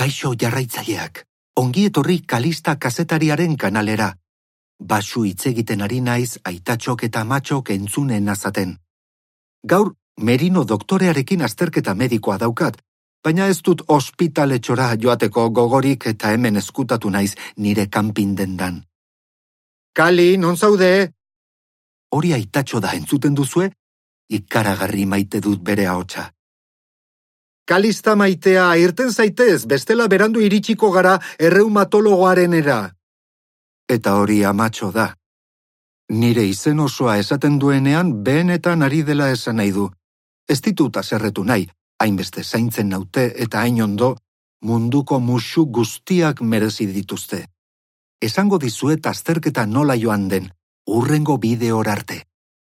Kaixo jarraitzaileak, ongi etorri Kalista kazetariaren kanalera. Basu hitz egiten ari naiz aitatxok eta amatxok entzunen azaten. Gaur, Merino doktorearekin azterketa medikoa daukat, baina ez dut ospitaletxora joateko gogorik eta hemen eskutatu naiz nire kanpin dendan. Kali, non zaude? Hori aitatxo da entzuten duzue? Ikaragarri maite dut bere ahotsa. Kalista maitea, irten zaitez, bestela berandu iritsiko gara erreumatologoarenera. Eta hori amatxo da. Nire izen osoa esaten duenean behenetan ari dela esan nahi du. Ez ditut haserretu nahi, hainbeste zaintzen naute eta hain ondo, munduko musu guztiak merezi dituzte. Esango dizuet azterketa nola joan den, hurrengo bideora arte.